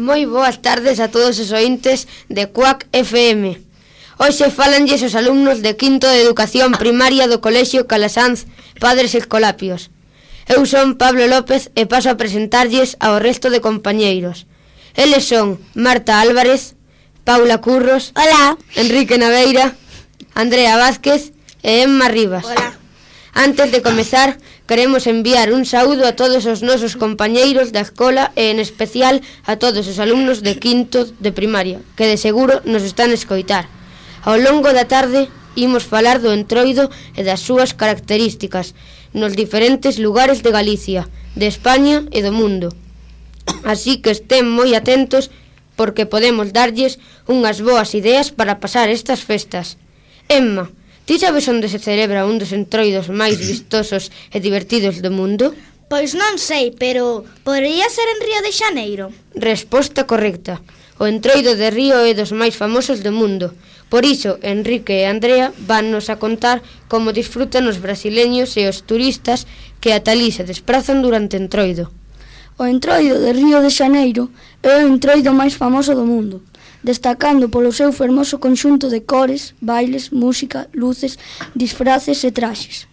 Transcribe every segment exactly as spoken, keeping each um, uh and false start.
Moi boas tardes a todos os ointes de Cuac F M. Hoxe falanlles os alumnos de quinto de Educación Primaria do Colexio Calasanz Padres Escolapios. Eu son Pablo López e paso a presentarlles ao resto de compañeiros. Eles son Marta Álvarez, Paula Curros, Hola, Enrique Naveira, Andrea Vázquez e Emma Rivas. Hola. Antes de comezar, queremos enviar un saúdo a todos os nosos compañeiros da escola e en especial a todos os alumnos de quinto de primaria, que de seguro nos están a escoitar. Ao longo da tarde, imos falar do entroido e das súas características nos diferentes lugares de Galicia, de España e do mundo. Así que estén moi atentos porque podemos darlles unhas boas ideas para pasar estas festas. Emma, ti sabes onde se celebra un dos entroidos máis vistosos e divertidos do mundo? Pois non sei, pero podería ser en Río de Xaneiro. Resposta correcta. O entroido de Río é dos máis famosos do mundo. Por iso, Enrique e Andrea vannos a contar como disfrutan os brasileños e os turistas que ata alí se desprazan durante o entroido. O entroido de Río de Xaneiro é o entroido máis famoso do mundo, destacando polo seu fermoso conxunto de cores, bailes, música, luces, disfraces e traxes.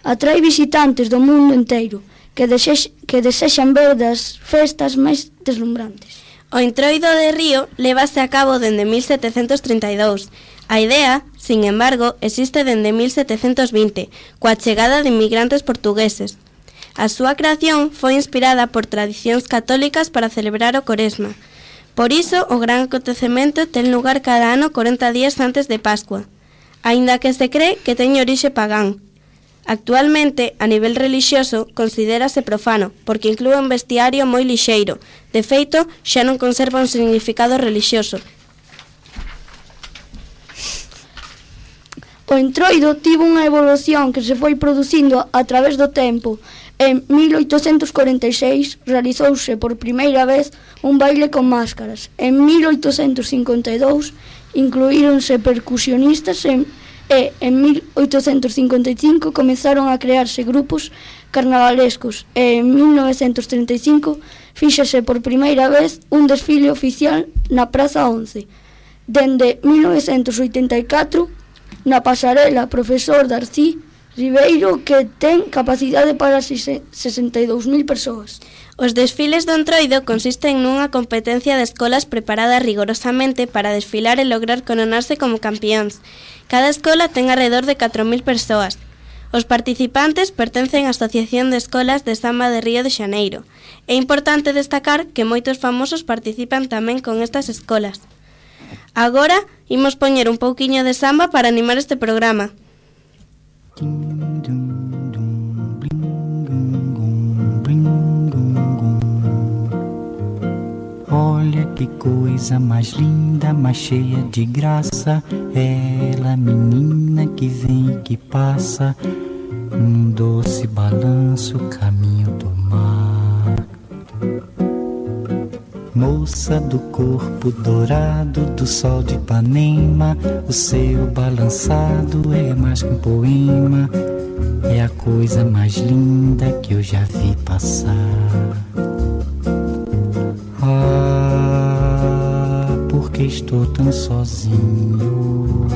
Atrai visitantes do mundo inteiro que, desex, que desexan ver das festas máis deslumbrantes. O entroido de Río lévase a cabo dende mil setecentos trinta e dous. A idea, sin embargo, existe dende mil setecentos vinte, coa chegada de inmigrantes portugueses. A súa creación foi inspirada por tradicións católicas para celebrar o Coresma. Por iso, o gran acontecemento ten lugar cada ano corenta días antes de Pascua, aínda que se cree que teñe orixe pagán. Actualmente, a nivel relixioso, considérase profano, porque inclúe un vestiario moi lixeiro. De feito, xa non conserva un significado relixioso. O entroido tivo unha evolución que se foi producindo a través do tempo. En mil oitocentos corenta e seis realizouse por primeira vez un baile con máscaras. En mil oitocentos cincuenta e dous incluíronse percusionistas en E en mil oitocentos cincuenta e cinco comezaron a crearse grupos carnavalescos e en mil novecentos trinta e cinco fíxase por primeira vez un desfile oficial na Praza once. Dende mil novecentos oitenta e catro, na pasarela Profesor Darcí Ribeiro, que ten capacidade para sesenta e dous mil persoas. Os desfiles do entroido consisten nunha competencia de escolas preparada rigorosamente para desfilar e lograr coronarse como campións. Cada escola ten alrededor de catro mil persoas. Os participantes pertencen á Asociación de Escolas de Samba de Río de Xaneiro. É importante destacar que moitos famosos participan tamén con estas escolas. Agora, imos poñer un pouquiño de samba para animar este programa. Olha que coisa mais linda, mais cheia de graça. Ela, menina que vem e que passa, num doce balanço, caminho do mar. Moça do corpo dourado do sol de Ipanema, o seu balançado é mais que um poema. É a coisa mais linda que eu já vi passar. Ah, porque estou tão sozinho.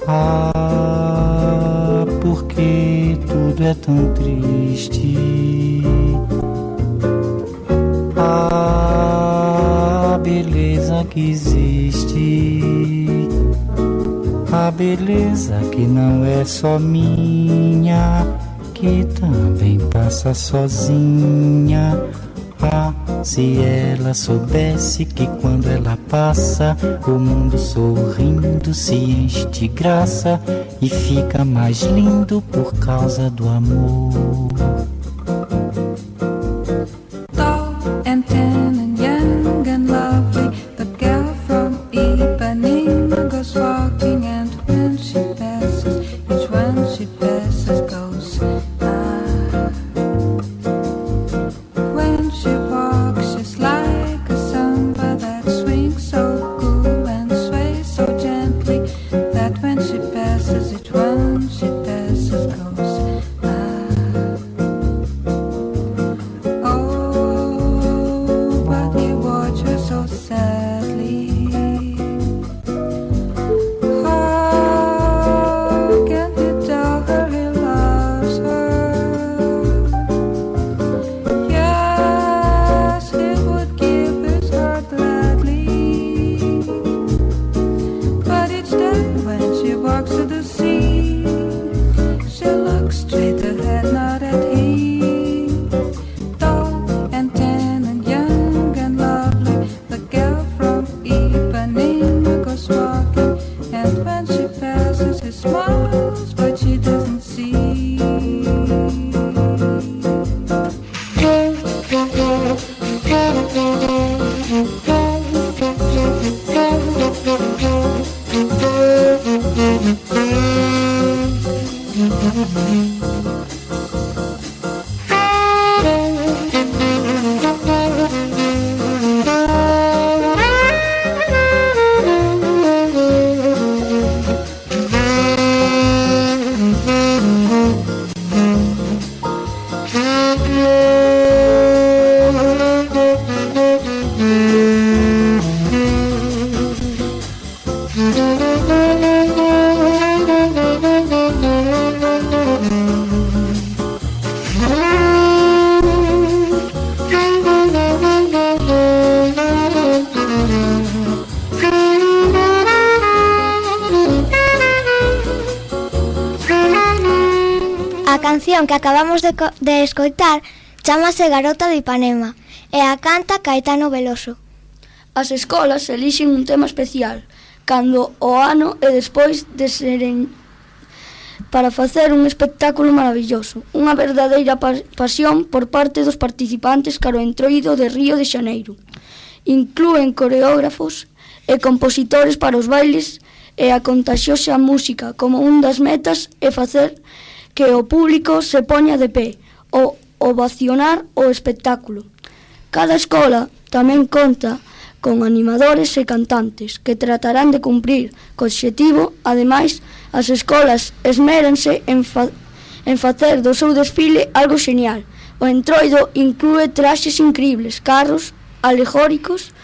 Ah, porque tudo é tão triste. Ah, beleza que existe. A beleza que não é só minha, que também passa sozinha. Ah, se ela soubesse que quando ela passa, o mundo sorrindo se enche de graça e fica mais lindo por causa do amor. Tall and tan and young and lovely, the girl from Ipanema goes walking, and when she passes, each one she passes goes ah. When she walks, she's like a samba that swings so cool and sways so gently, that when she passes, each one she passes goes ah. Oh, A canción que acabamos de, de escoitar chámase Garota de Ipanema e a canta Caetano Veloso. As escolas elixen un tema especial cando o ano e despois de seren para facer un espectáculo maravilloso, unha verdadeira pasión por parte dos participantes cara ao Entroido de Río de Xaneiro. Inclúen coreógrafos e compositores para os bailes e a contaxiosa música como un das metas é facer que o público se poña de pé o ovacionar o espectáculo. Cada escola tamén conta con animadores e cantantes que tratarán de cumprir co obxectivo. Ademais, as escolas esméranse en, fa en facer do seu desfile algo genial. O Entroido inclúe traxes increíbles, carros alegóricos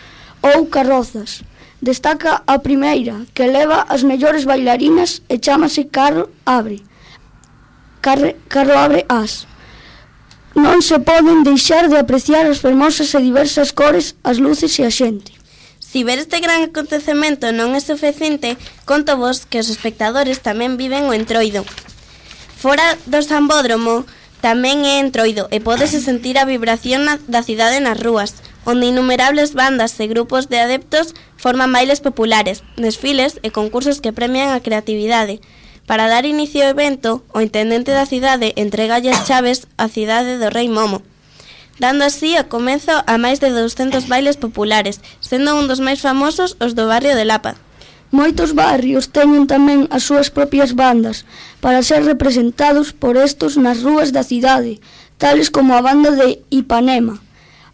ou carrozas. Destaca a primeira, que leva as mellores bailarinas e chámase Carro Abre. Carre, carro abre as. Non se poden deixar de apreciar as fermosas e diversas cores, as luces e a xente. Si ver este gran acontecemento non é suficiente, conto vos que os espectadores tamén viven o Entroido. Fora do Sambódromo tamén é Entroido e pódese sentir a vibración na, da cidade nas rúas, onde innumerables bandas e grupos de adeptos forman bailes populares, desfiles e concursos que premian a creatividade. Para dar inicio ao evento, o intendente da cidade entregalle as chaves á cidade do Rei Momo, dando así a comezo a máis de douscentos bailes populares, sendo un dos máis famosos os do barrio de Lapa. Moitos barrios teñen tamén as súas propias bandas para ser representados por estos nas rúas da cidade, tales como a banda de Ipanema,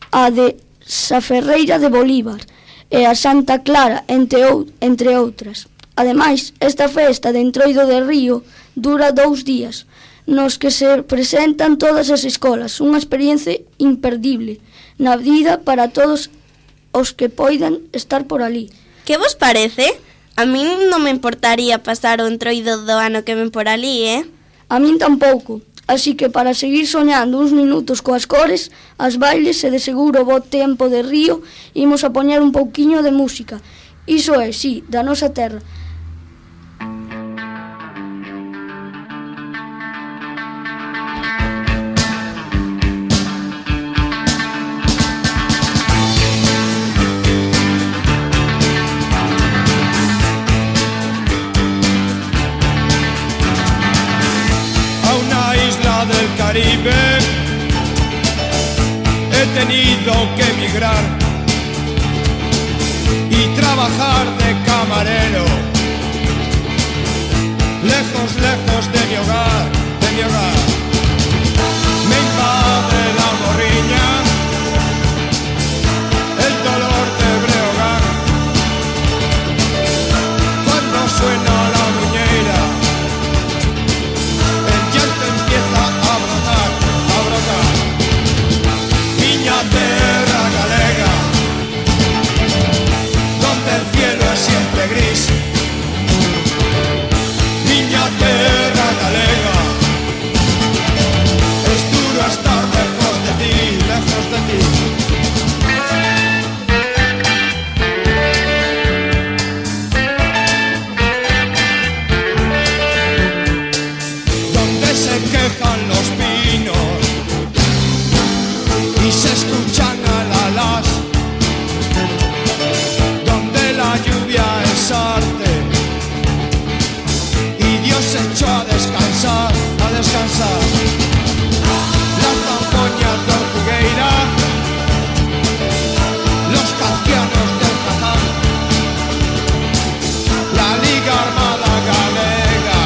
a de Saferreira de Bolívar e a Santa Clara, entre, ou, entre outras. Ademais, esta festa de Entroido de Río dura dous días, nos que se presentan todas as escolas, unha experiencia imperdible na vida para todos os que poidan estar por ali. Que vos parece? A min non me importaría pasar o Entroido do ano que ven por ali, eh? A min tampouco, así que para seguir soñando uns minutos coas cores, as bailes e de seguro bo tempo de Río, imos a poñer un pouquiño de música. Iso é, sí, da nosa terra. Caribe, he tenido que emigrar y trabajar de camarero, lejos, lejos de mi hogar, de mi hogar. Me invade la morriña, el dolor de brehogar, cuando suena la muñeira, el llanto empieza a brotar, a brotar. Miña terra galega, donde el cielo es siempre gris. Miña terra galega, es duro estar lejos de ti, lejos de ti. Se quejan los pinos y se escuchan alalas, donde la lluvia es arte y Dios se echó a descansar, a descansar. Las zanfoñas de Ortugueira, los cancianos del Jazán, la Liga Armada Galega,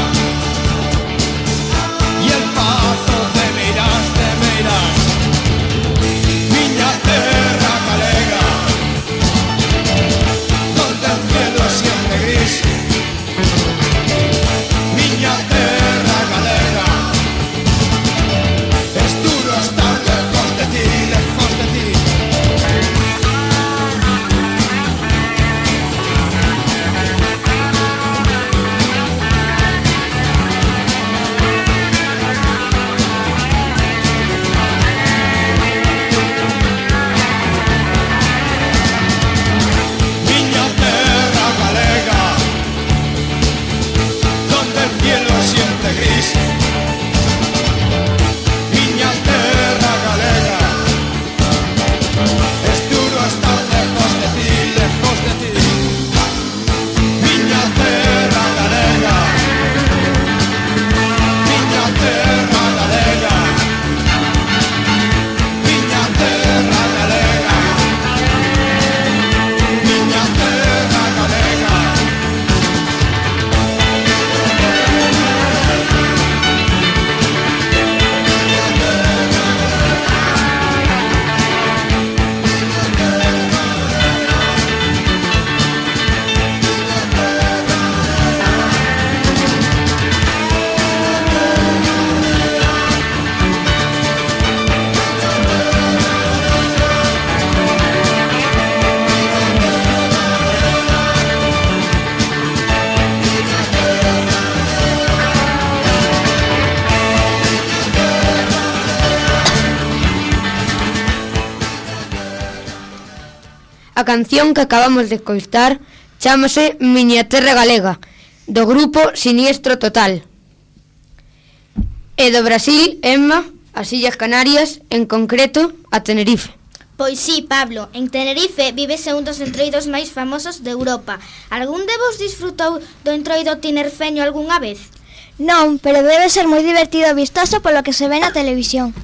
A canción que acabamos de escoitar chámase Miña Terra Galega, do grupo Siniestro Total. E do Brasil, Emma, as Illas Canarias, en concreto, a Tenerife. Pois sí, Pablo, en Tenerife vívese un dos entroidos máis famosos de Europa. Algún de vos disfrutou do entroido tinerfeño algunha vez? Non, pero debe ser moi divertido e vistoso polo que se ve na televisión.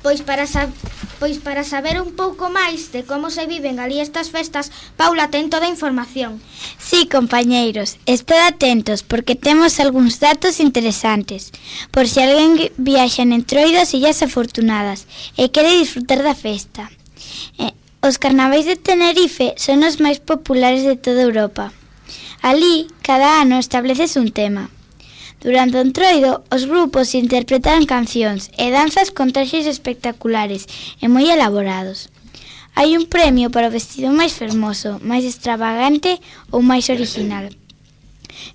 Pois para, sab pois para saber un pouco máis de como se viven ali estas festas, Paula ten toda a información. Sí, compañeiros, estad atentos porque temos algúns datos interesantes. Por se alguén viaxa en entroidos illas afortunadas e quere disfrutar da festa. Eh, os carnavais de Tenerife son os máis populares de toda Europa. Alí, cada ano estableces un tema. Durante o entroido, os grupos interpretan cancións e danzas con traxes espectaculares e moi elaborados. Hai un premio para o vestido máis fermoso, máis extravagante ou máis original.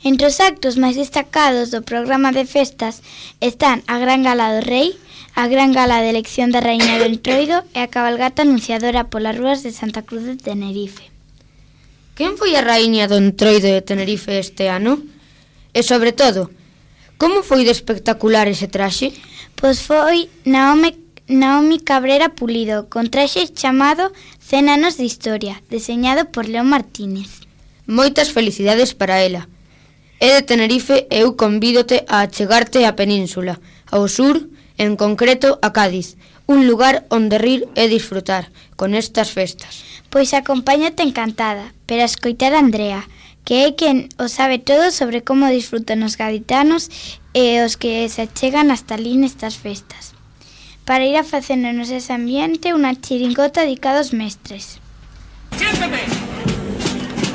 Entre os actos máis destacados do programa de festas están a Gran Gala do Rei, a Gran Gala de elección da Raíña do Entroido e a cabalgata anunciadora polas rúas de Santa Cruz de Tenerife. Quen foi a Raíña do Entroido de Tenerife este ano? E sobre todo, como foi de espectacular ese traxe? Pois foi Naomi, Naomi Cabrera Pulido, con traxe chamado cen anos de historia, deseñado por León Martínez. Moitas felicidades para ela. É de Tenerife e eu convídote a achegarte á península, ao sur, en concreto a Cádiz, un lugar onde rir e disfrutar con estas festas. Pois acompáñate encantada, pero a escoitar a Andrea, que é quen o sabe todo sobre como disfrutan os gaditanos e os que se achegan hasta ali nestas festas. Para ir a facernos ese ambiente, unha chiringota dedicada aos mestres. ¡Siéntete!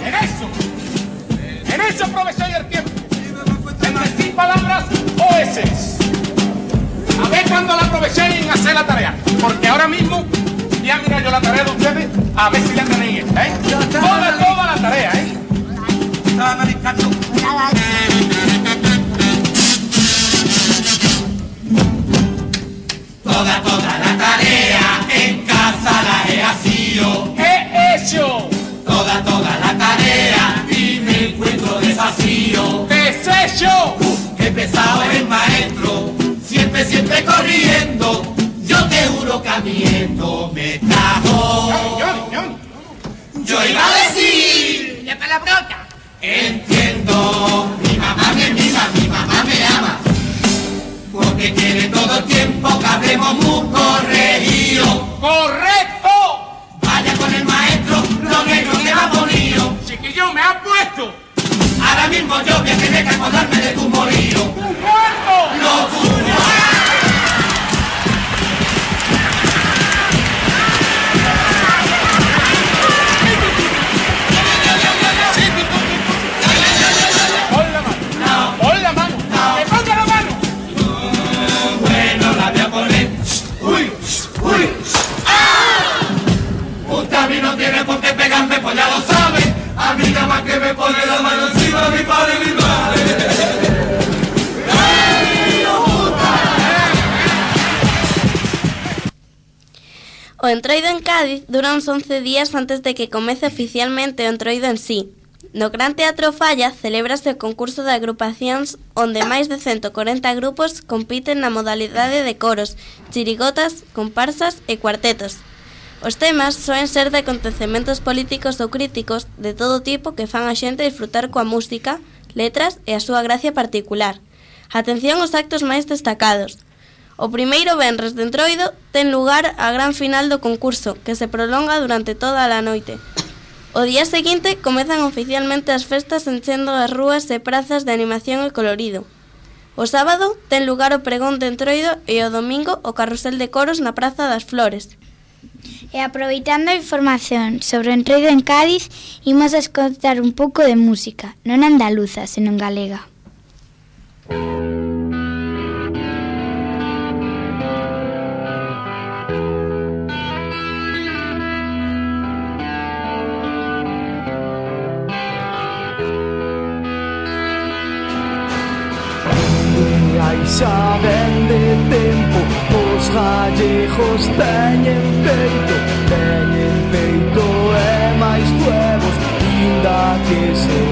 ¡En eso! ¡En eso aprovechéis el tiempo! En decir palabras o eses. A ver cuando la aprovechéis en hacer la tarea. Porque ahora mismo ya mira yo la tarea de ustedes, a ver si la tenéis hecha, ¿eh? Toda, toda la tarea, ¿eh? Toda, toda la tarea en casa la he asido. ¡He hecho! Toda, toda la tarea y me encuentro desafío. ¡Deshecho! Uh, qué pesado es el maestro, siempre, siempre corriendo. Yo te juro que a mí esto me trajo. Johnny, Johnny. Yo iba a decir la palabrota. Entiendo, mi mamá me mima, mi mamá me ama, porque quiere todo el tiempo que hablemos muy corregido. ¡Correcto! Vaya con el maestro, lo negro que va bonito. Chiquillo, me has puesto. Ahora mismo yo voy a tener que acordarme de tu morillo. ¡Tu cuarto! ¡Lo tuyo! Pues ya lo sabe, a mí nada más que me pone la mano encima mi padre y mi madre. O entroido en Cádiz dura uns once días antes de que comece oficialmente o entroido en sí. No Gran Teatro Falla celébrase o concurso de agrupacións onde máis de ciento corenta grupos compiten na modalidade de coros, chirigotas, comparsas e cuartetos. Os temas soen ser de acontecementos políticos ou críticos de todo tipo que fan a xente disfrutar coa música, letras e a súa gracia particular. Atención aos actos máis destacados. O primeiro venres de entroido ten lugar a gran final do concurso, que se prolonga durante toda a noite. O día seguinte comezan oficialmente as festas enchendo as rúas e prazas de animación e colorido. O sábado ten lugar o pregón de entroido e o domingo o carrusel de coros na Praza das Flores. E aproveitando a información sobre o entroido en Cádiz, imos a escoitar un pouco de música, non andaluza, senón galega. Xa vende tempo, os gallejos teñen peito, teñen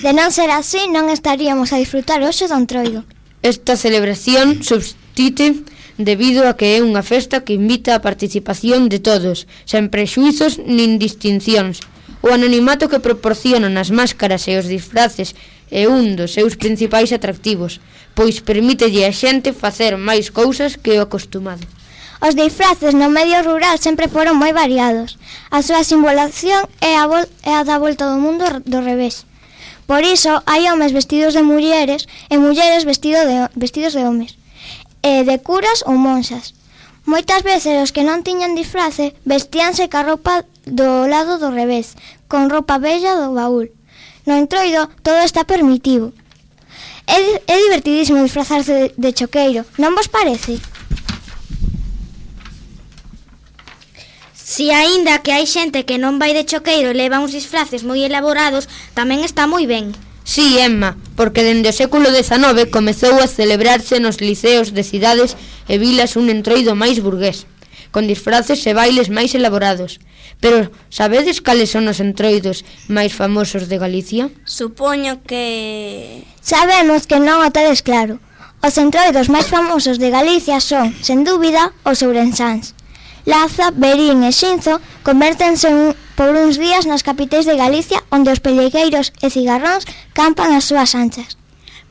De non ser así, non estaríamos a disfrutar hoxe do Entroido. Esta celebración subsiste debido a que é unha festa que invita a participación de todos, sen prexuizos nin distincións. O anonimato que proporcionan as máscaras e os disfraces é un dos seus principais atractivos, pois permítelle a xente facer máis cousas que o acostumado. Os disfraces no medio rural sempre foron moi variados. A súa simbolación é a, vol- é a da volta do mundo do revés. Por iso, hai homes vestidos de mulleres e mulleres vestido de, vestidos de homes, e de curas ou monxas. Moitas veces os que non tiñan disfrace vestíanse ca roupa do lado do revés, con roupa bella do baúl. No Entroido todo está permitido. É, é divertidísimo disfrazarse de, de choqueiro, non vos parece? Si aínda que hai xente que non vai de choqueiro e leva uns disfraces moi elaborados, tamén está moi ben. Sí, Emma, porque dende o século dezanove comezou a celebrarse nos liceos de cidades e vilas un Entroido máis burgués, con disfraces e bailes máis elaborados. Pero sabedes cales son os Entroidos máis famosos de Galicia? Supoño que... Sabemos que non o tedes claro. Os Entroidos máis famosos de Galicia son, sen dúbida, os ourensáns. Laza, Verín e Xinzo convértense un, por uns días nas capitais de Galicia, onde os pellegueiros e cigarróns campan as súas anchas.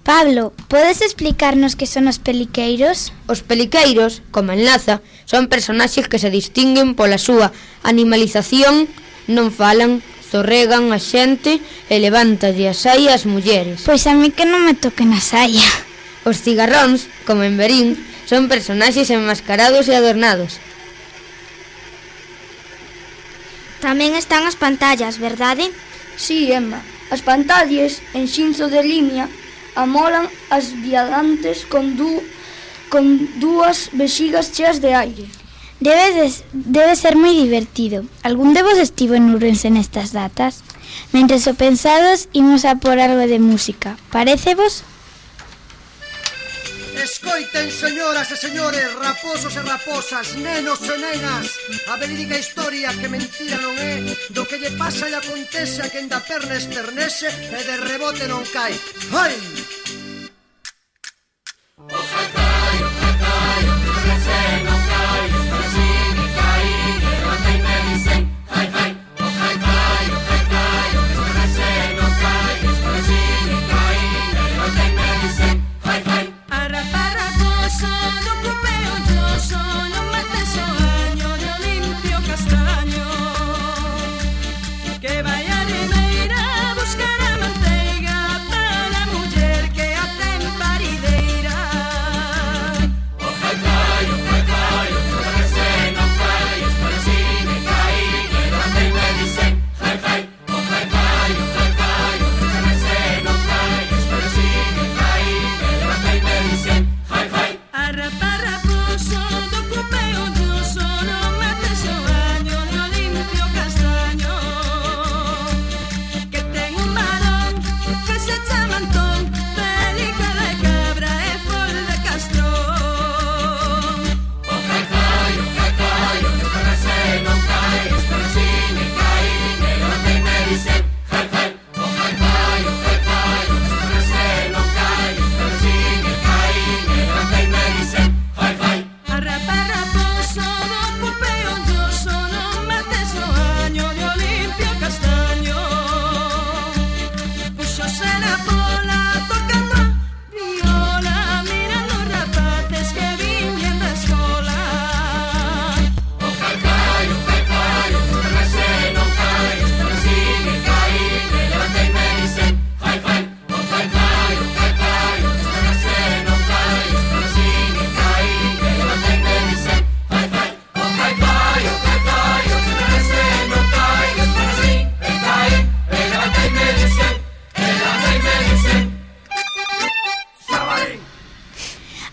Pablo, podes explicarnos que son os peliqueiros? Os peliqueiros, como en Laza, son personaxes que se distinguen pola súa animalización, non falan, zorregan a xente e levántalle a saia ás mulleres. Pois a mí que non me toquen a saia. Os cigarróns, como en Verín, son personaxes enmascarados e adornados. Tamén están as pantallas, verdade? Sí, Emma. As pantallas en Xinzo de Limia amolan as viadantes con, du, con dúas vexigas cheas de aire. Debe, de, debe ser moi divertido. Algún de vos estivo en Ourense nestas datas? Mentres o pensados, imos a por algo de música. Parécevos? Escoiten, señoras e señores, raposos e raposas, nenos e nenas, a verídica historia que mentira non é do que lle pasa e acontece a quen da perna espernese e de rebote non cae. Hai! O jai, jai, o jai, jai, o que rece non cae, espero si ni cae, que levanta y me dicen, jai, jai, o jai, jai, o jai, jai, o que rece non cae, espero si ni cae, que levanta y me dicen, jai, jai.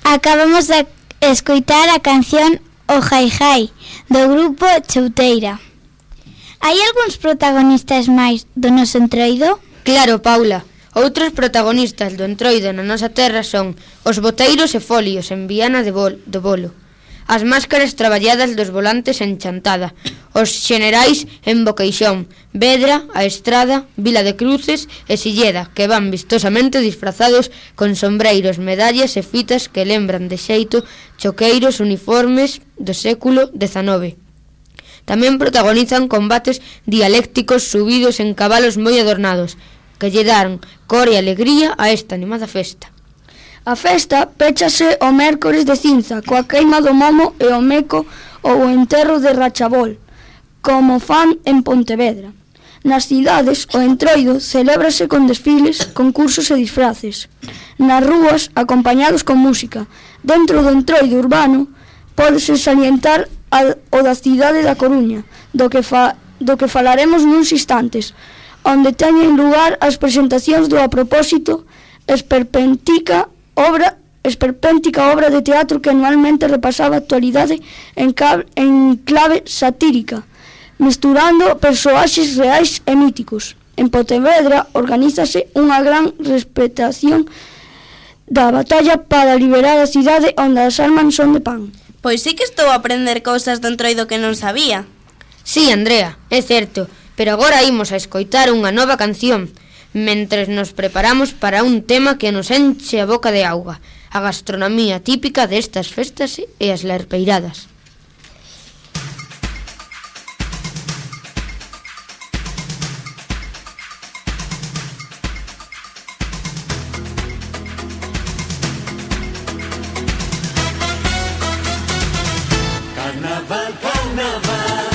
Acabamos de escoitar a canción O Jai Jai, do grupo Chouteira. Hai algúns protagonistas máis do noso Entroido? Claro, Paula. Outros protagonistas do Entroido na nosa terra son os boteiros e folios en Viana de Bol, do Bolo, as máscaras traballadas dos volantes en Chantada, os xenerais en Boqueixón, Vedra, A Estrada, Vila de Cruces e Silleda, que van vistosamente disfrazados con sombreiros, medallas e fitas que lembran de xeito choqueiros uniformes do século dezanove. Tamén protagonizan combates dialécticos subidos en cabalos moi adornados, que lle dan cor e alegría a esta animada festa. A festa péchase o mércores de cinza, coa queima do momo e o meco ou o enterro de Rachabol, como fan en Pontevedra. Nas cidades, o entroido celébrase con desfiles, concursos e disfraces. Nas rúas, acompañados con música. Dentro do entroido urbano, pódese salientar a, o da cidade da Coruña, do que, fa, do que falaremos nuns instantes, onde teñen lugar as presentacións do A Propósito, esperpéntica obra, esperpéntica obra de teatro que anualmente repasaba a actualidade en, cab, en clave satírica, mesturando persoaxes reais e míticos. En Pontevedra organízase unha gran respetación da batalla para liberar a cidade onde as armas son de pan. Pois sí que estou a aprender cousas do entroido que non sabía. Sí, Andrea, é certo, pero agora imos a escoitar unha nova canción, mentres nos preparamos para un tema que nos enche a boca de auga, a gastronomía típica destas festas e as lerpeiradas. Carnaval, carnaval,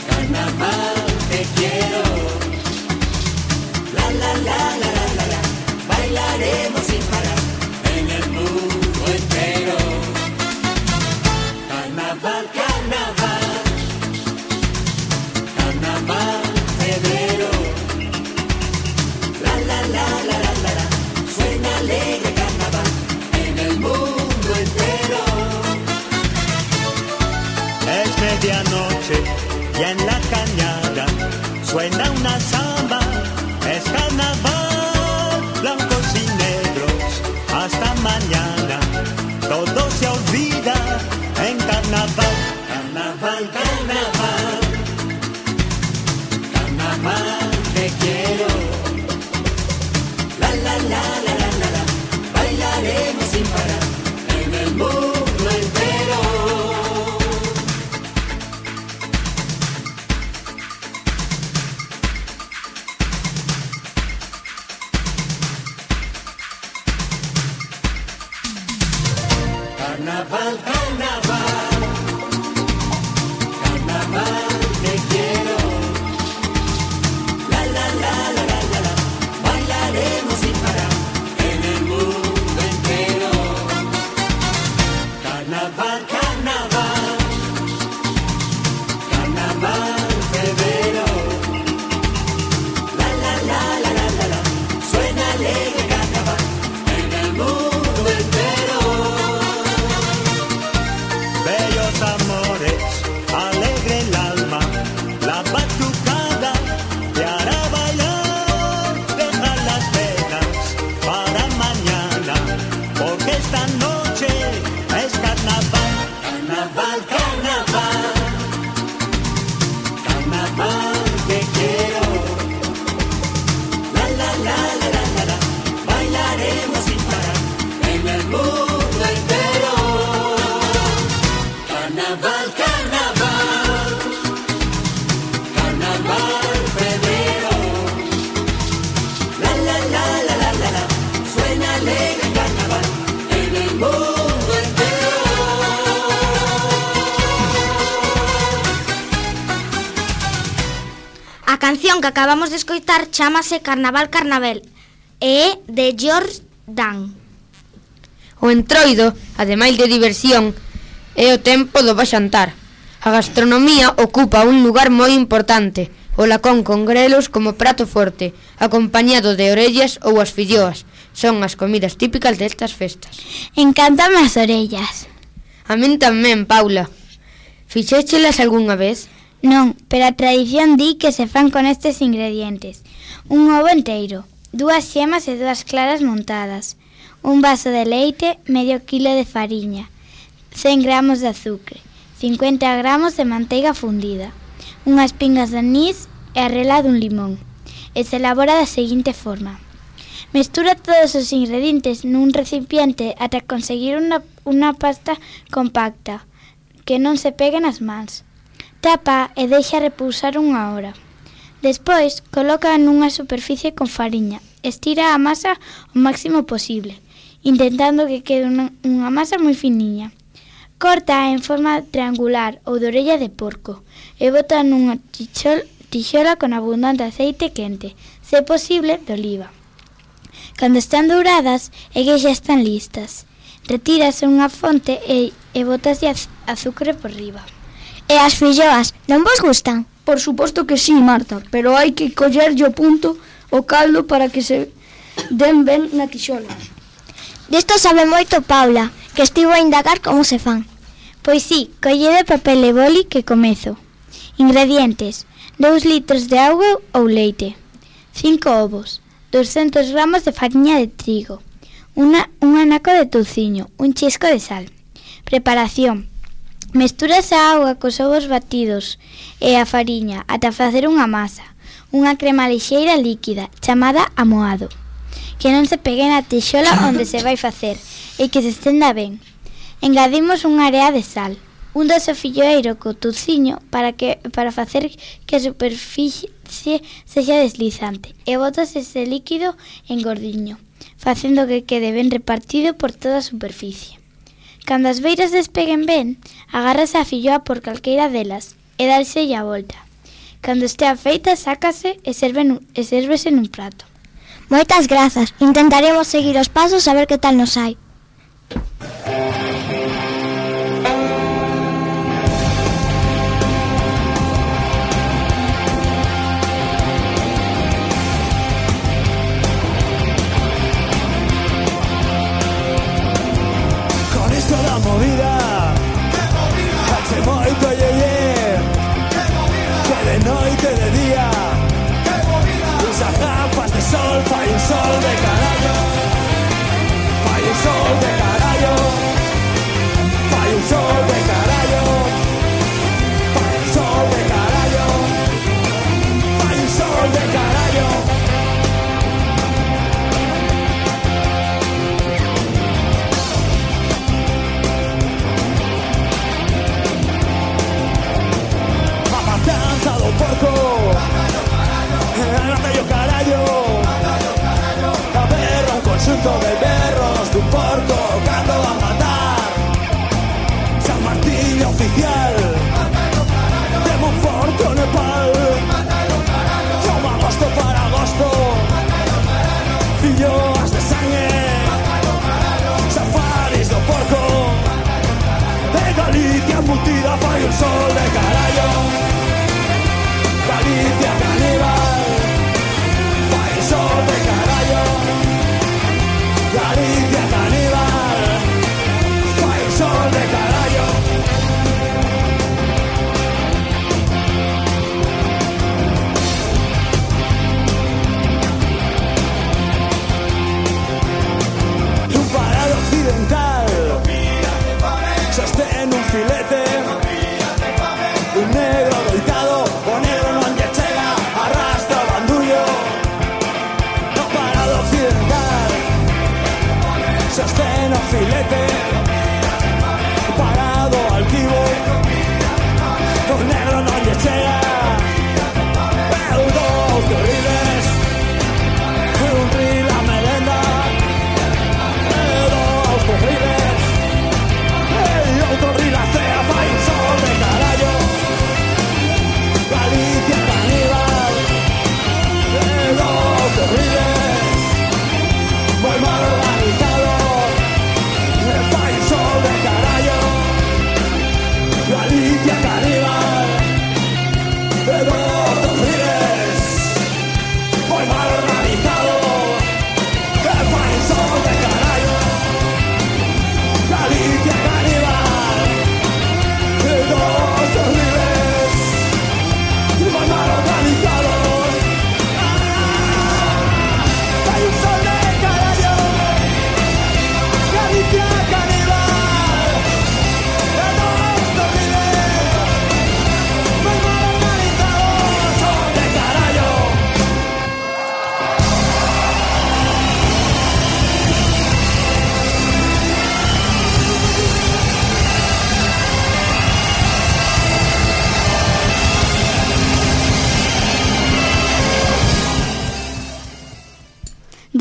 carnaval, te quiero. La, la, la, la, la, la, la, bailaremos sin parar en el mundo entero. Carnaval, carnaval, carnaval, febrero. La, la, la, la, la, la, la, suena alegre carnaval en el mundo entero. Es medianoche y en la cañada suena una samba. Es carnaval, blancos y negros, hasta mañana. Todo se olvida en carnaval. Carnaval, carnaval, carnaval, te quiero. La, la, la, la, la, la, la, bailaremos sin parar en el mundo entero. Carnaval, carnaval, carnaval, te quiero. La, la, la, la, la, la, la, bailaremos sin parar en el mundo entero. Carnaval, carnaval, carnaval, febrero. La, la, la, la, la, la, la, suena alegre carnaval en el mundo entero. Bellos amores, alegre el alma, la batucada te hará bailar. Deja las penas para mañana, porque esta noche es carnaval. Carnaval, carnaval, carnaval, te quiero. La, la, la, la, la, la, la, bailaremos sin parar en el mundo entero. Carnaval, carnaval, carnaval, febrero. La, la, la, la, la, la, la, suena alegre carnaval en el mundo entero. A canción que acabamos de escoitar chámase Carnaval Carnaval e é de George Dan. O entroido, ademais de diversión, é o tempo do baxantar. A gastronomía ocupa un lugar moi importante, o lacón con grelos como prato forte, acompañado de orellas ou as filloas. Son as comidas típicas destas festas. Encántame as orellas. A min tamén, Paula. Fixéchelas algunha vez? Non, pero a tradición di que se fan con estes ingredientes: un ovo enteiro, dúas xemas e dúas claras montadas, un vaso de leite, medio kilo de fariña, cen gramos de azúcar, cincuenta gramos de manteiga fundida, unhas pingas de anís e a rela dun limón. E se elabora da seguinte forma. Mestura todos os ingredientes nun recipiente ata conseguir unha, unha pasta compacta que non se pegue nas mans. Tapa e deixa repousar unha hora. Despois, coloca nunha superficie con fariña. Estira a masa o máximo posible, intentando que quede unha, unha masa moi finiña. Corta en forma triangular ou de orella de porco e bota nunha tixol, tixola con abundante aceite quente, se posible de oliva. Cando están douradas é que xa están listas. Retírase unha fonte e, e botas de azúcar por riba. E as filloas, non vos gustan? Por suposto que sí, Marta, pero hai que collerlle o punto o caldo para que se den ben na tixola. Disto sabe moito Paula, que estivo a indagar como se fan. Pois sí, collede papel e boli que comezo. Ingredientes: dous litros de auga ou leite, cinco ovos, doscientos gramos de fariña de trigo, una, un anaco de touciño, un chisco de sal. Preparación: mesturas a auga cos ovos batidos e a fariña ata facer unha masa, unha crema lixeira líquida chamada amoado, que non se pegue na tixola onde se vai facer e que se estenda ben. Engadimos unha area de sal, un doce filloeiro co touciño para que para facer que a superficie sexa deslizante e botas ese líquido en gordiño, facendo que quede ben repartido por toda a superficie. Cando as beiras despeguen ben, agárrase a filloa por calqueira delas e dárselle a volta. Cando estea feita, sácase e, serve nun, e sérvese nun prato. Moitas grazas. Intentaremos seguir os pasos a ver que tal nos hai. La movida, hace moito yeye, que de noite de día, usas gafas de sol, fai un sol de carallo, fai un sol de carallo, fai un sol de carallo, fai un sol de carallo, fai un sol de carallo. Matanza do porco, agárrate yo carallo, a berro, un conxunto de berros dun porco cando a matar. San Martín oficial de Monforte o Nepal, como agosto para agosto, filloas de sangue, safaris do porco, de Galicia embutida fai un sol de carallo. Galicia caníbal, fai sol de carallo. Galicia caníbal, fai sol de carallo. Un parado occidental sostén un filete, un negro doitado, o negro non lle chega, arrastra o bandullo. No parado occidental sostén o filete, parado altivo, o negro non lle chega. Eu dous terribles, un ril a merenda, eu dous terribles, e outro ril a cea.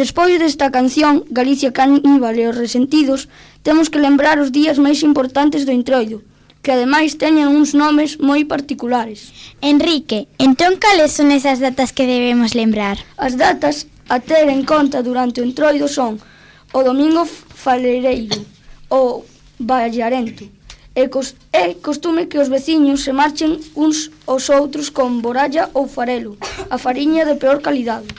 Despois desta canción, Galicia Caníbal e os Resentidos, temos que lembrar os días máis importantes do Entroido, que ademais teñen uns nomes moi particulares. Enrique, entón cales son esas datas que debemos lembrar? As datas a ter en conta durante o Entroido son o Domingo Falereiro, o Vallarento. É, cos, é costume que os veciños se marchen uns aos outros con boralla ou farelo, a fariña de peor calidade.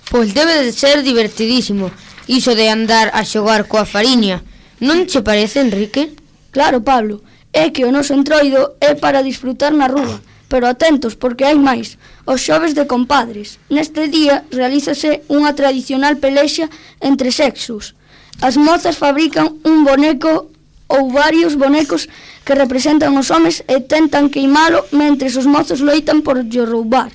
Pois debe de ser divertidísimo, iso de andar a xogar coa fariña. Non che parece, Enrique? Claro, Pablo, é que o noso Entroido é para disfrutar na rúa, pero atentos porque hai máis, os xoves de compadres. Neste día realízase unha tradicional pelexa entre sexos. As mozas fabrican un boneco ou varios bonecos que representan os homes e tentan queimalo mentres os mozos loitan por lle roubar.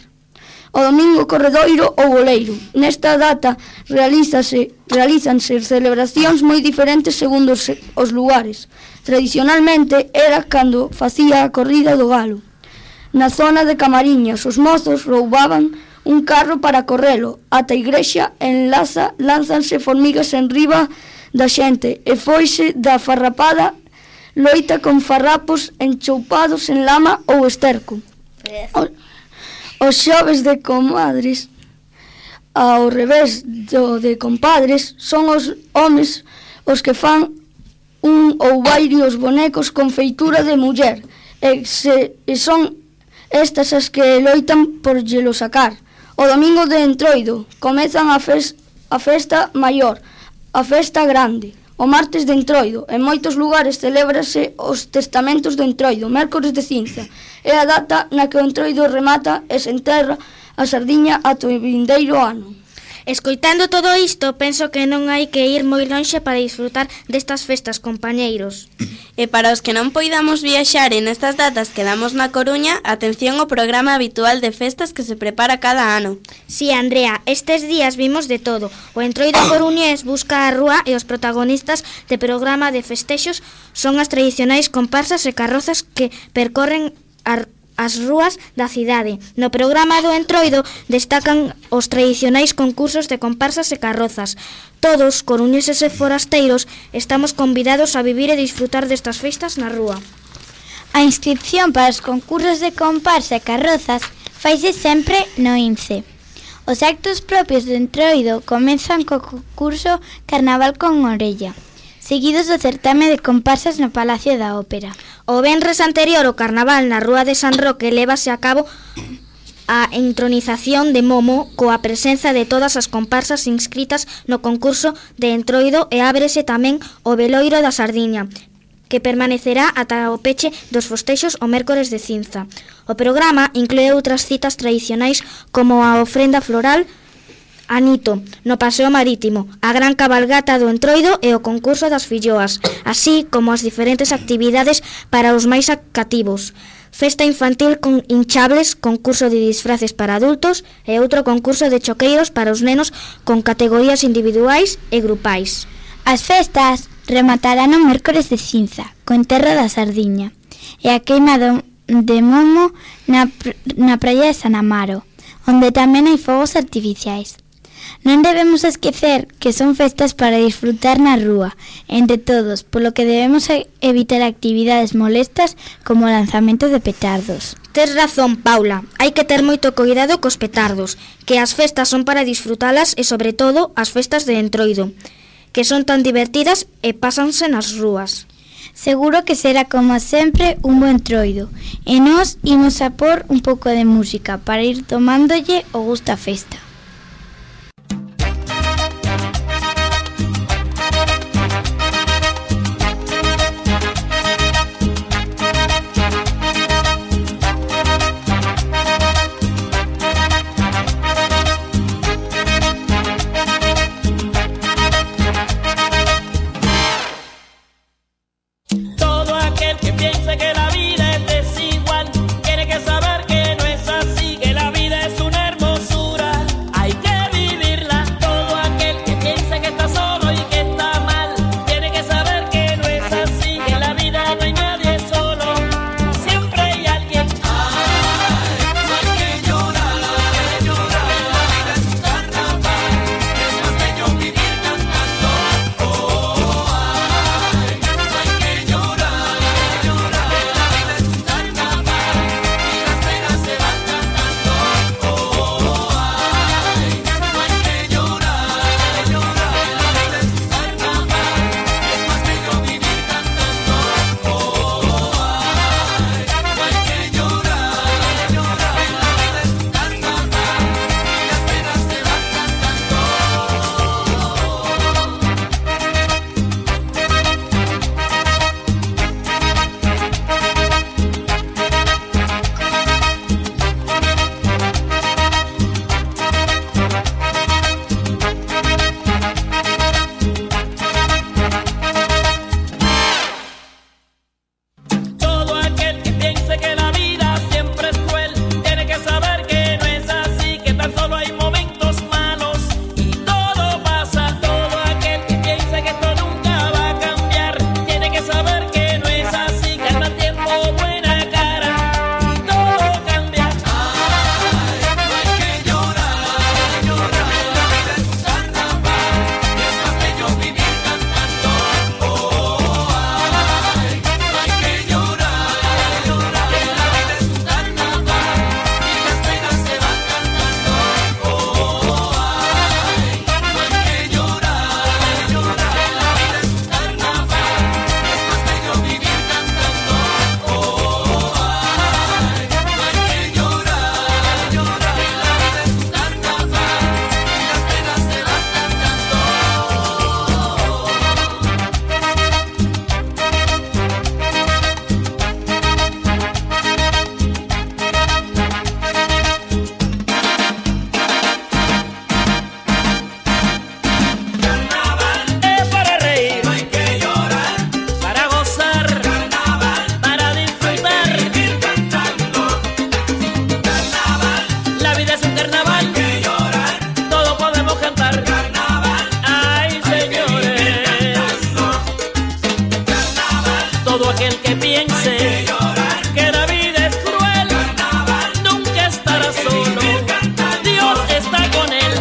O domingo corredoiro ou boleiro. Nesta data realízase, realízanse celebracións moi diferentes segundo os, os lugares. Tradicionalmente era cando facía a corrida do galo. Na zona de Camariñas, os mozos roubaban un carro para correlo. Ata a igrexa en Laza lánzanse formigas en riba da xente e foise da farrapada loita con farrapos enchoupados en lama ou esterco. O, Os xoves de comadres, ao revés do de compadres, son os homes os que fan un ou varios bonecos con feitura de muller, e, se, e son estas as que loitan por llelo sacar. O domingo de Entroido comezan a, fes, a festa maior, a festa grande. O martes de Entroido, en moitos lugares celébrase os testamentos do Entroido, mércores de cinza. É a data na que o Entroido remata e se enterra a sardiña ata o vindeiro ano. Escoitando todo isto, penso que non hai que ir moi lonxe para disfrutar destas festas, compañeiros. E para os que non poidamos viaxar en estas datas que damos na Coruña, atención ao programa habitual de festas que se prepara cada ano. Sí, Andrea, estes días vimos de todo. O Entroido coruñés busca a rúa e os protagonistas de programa de festexos son as tradicionais comparsas e carrozas que percorren a as rúas da cidade. No programa do Entroido destacan os tradicionais concursos de comparsas e carrozas. Todos, coruñeses e forasteiros, estamos convidados a vivir e disfrutar destas festas na rúa. A inscripción para os concursos de comparsa e carrozas faise sempre no I N C E. Os actos propios do Entroido comezan co concurso Carnaval con Orella, seguidos do certame de comparsas no Palacio da Ópera. O venres anterior ao Carnaval na Rúa de San Roque lévase a cabo a entronización de Momo coa presenza de todas as comparsas inscritas no concurso de Entroido e ábrese tamén o Veloiro da Sardiña, que permanecerá ata o peche dos festexos o mércores de cinza. O programa inclúe outras citas tradicionais como a ofrenda floral, Anito, no Paseo Marítimo, a gran cabalgata do Entroido e o concurso das filloas, así como as diferentes actividades para os máis cativos. Festa infantil con hinchables, concurso de disfraces para adultos e outro concurso de choqueiros para os nenos con categorías individuais e grupais. As festas rematarán o mércores de cinza, co enterro da sardiña, e a queima do, de momo na, na praia de San Amaro, onde tamén hai fogos artificiais. Non debemos esquecer que son festas para disfrutar na rúa, entre todos, polo que debemos evitar actividades molestas como o lanzamento de petardos. Tes razón, Paula, hai que ter moito cuidado cos petardos, que as festas son para disfrutalas e, sobre todo, as festas de Entroido, que son tan divertidas e pásanse nas rúas. Seguro que será, como sempre, un buen Entroido, e nós imos a por un pouco de música para ir tomándolle o gusto á festa. aquel que piense que la vida es cruel, nunca estará solo, Dios está con él.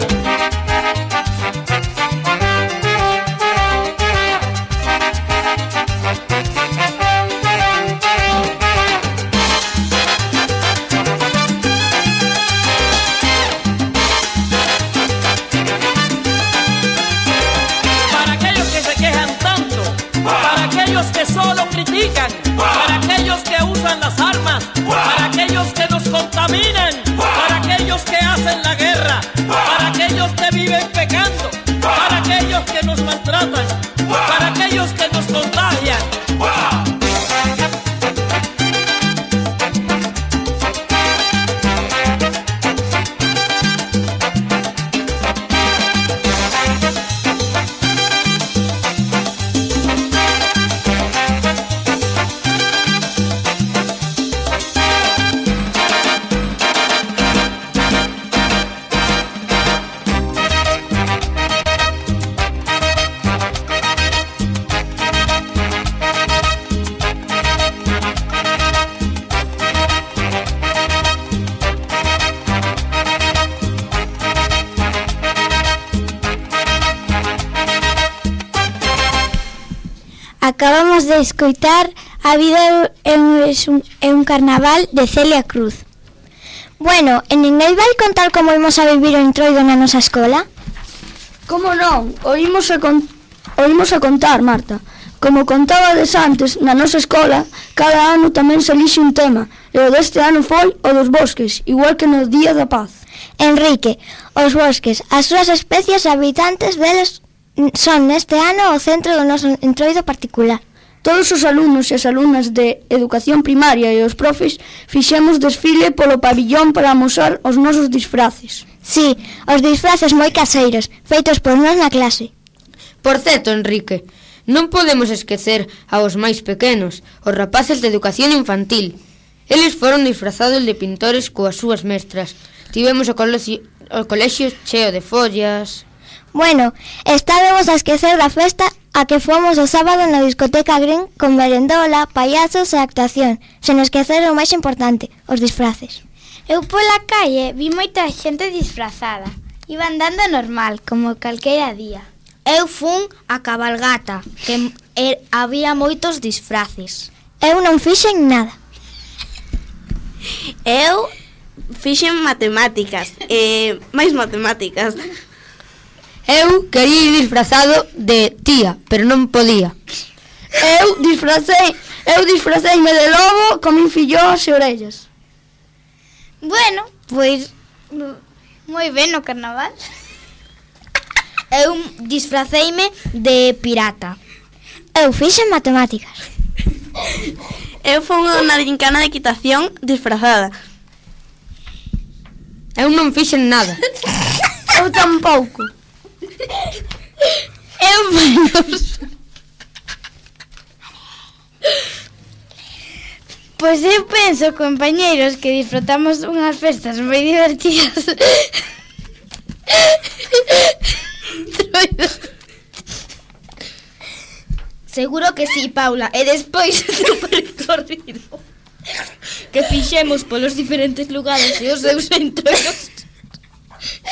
Que solo critican, para aquellos que usan las armas, para aquellos que nos contaminan, para aquellos que hacen la guerra, para aquellos que viven pecando, para aquellos que nos maltratan, para aquellos que nos contagian. Acabamos de escoitar A vida é un, é un carnaval de Celia Cruz. Bueno, e ninguén vai contar como imos a vivir o Entroido na nosa escola? Como non? Oímos a, con... Oímos a contar, Marta. Como contabades antes, na nosa escola, cada ano tamén se elixe un tema, e o deste ano foi o dos bosques, igual que no Día da Paz. Enrique, os bosques, as súas especies habitantes deles son neste ano o centro do noso Entroido particular. Todos os alumnos e as alumnas de educación primaria e os profes fixemos desfile polo pabillón para amosar os nosos disfraces. Sí, os disfraces moi caseiros, feitos por nós na clase. Por certo, Enrique, non podemos esquecer aos máis pequenos, os rapaces de educación infantil. Eles foron disfrazados de pintores coas súas mestras. Tivemos o colexio, o colexio cheo de follas. Bueno, estábamos a esquecer da festa a que fomos o sábado na discoteca Green con merendola, payasos e actuación, sen esquecer o máis importante, os disfraces. Eu pola calle vi moita xente disfrazada. Iban dando normal, como calquera día. Eu fun a cabalgata, que er, había moitos disfraces. Eu non fixen nada. Eu fixen matemáticas, e máis matemáticas. Eu quería ir disfrazado de tía, pero non podía. Eu disfracei, eu disfraceime de lobo con min fillós e orellas. Bueno, pois moi ben no carnaval. Eu disfraceime de pirata. Eu fixen matemáticas. Eu fui unha gincana de equitación disfrazada. Eu non fixen nada. Eu tampouco. Eu menos. Pois eu penso, compañeiros, que disfrutamos unhas festas moi divertidas. Seguro que sí, Paula. E despois do percorrido que fixemos polos diferentes lugares e os seus entornos,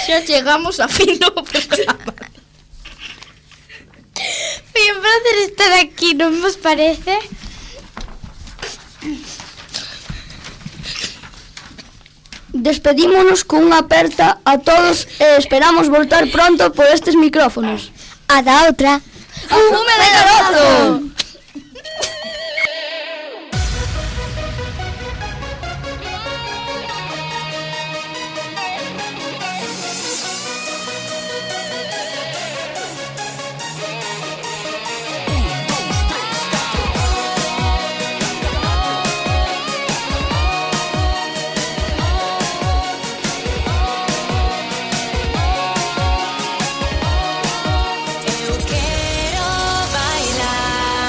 xa chegamos a fin do programa. Foi un placer estar aquí, non vos parece? Despedímonos cunha aperta a todos e esperamos voltar pronto por estes micrófonos. Ata outra. Fume de garoto! Eu quero bailar.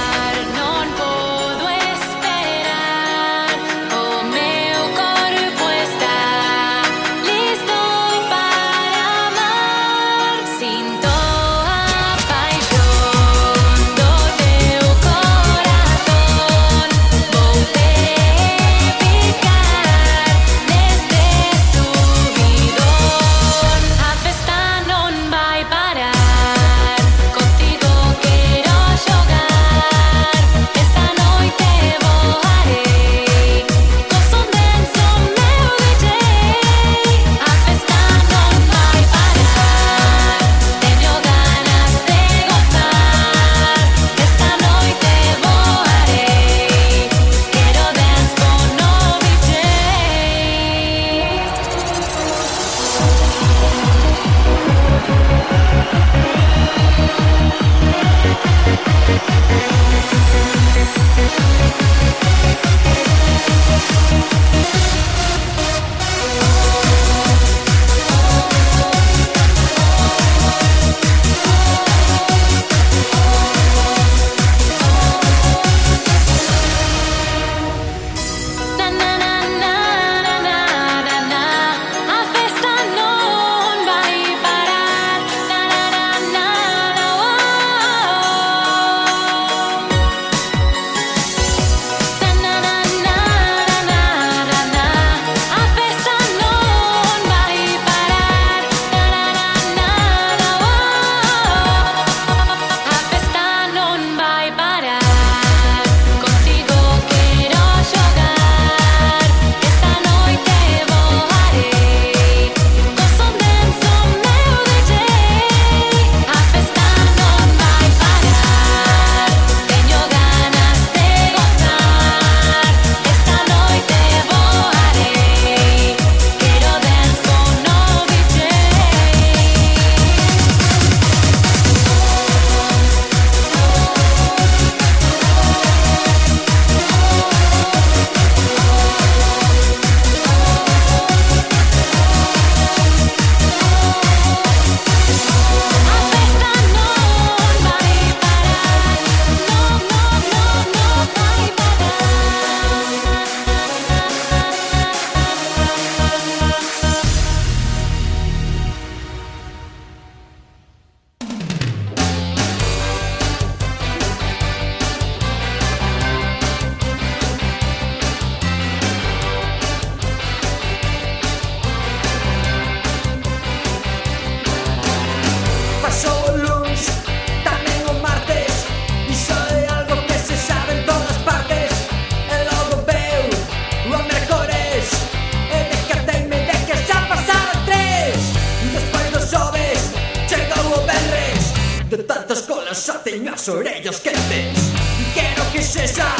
teño as orellas quentes. Quero que sexa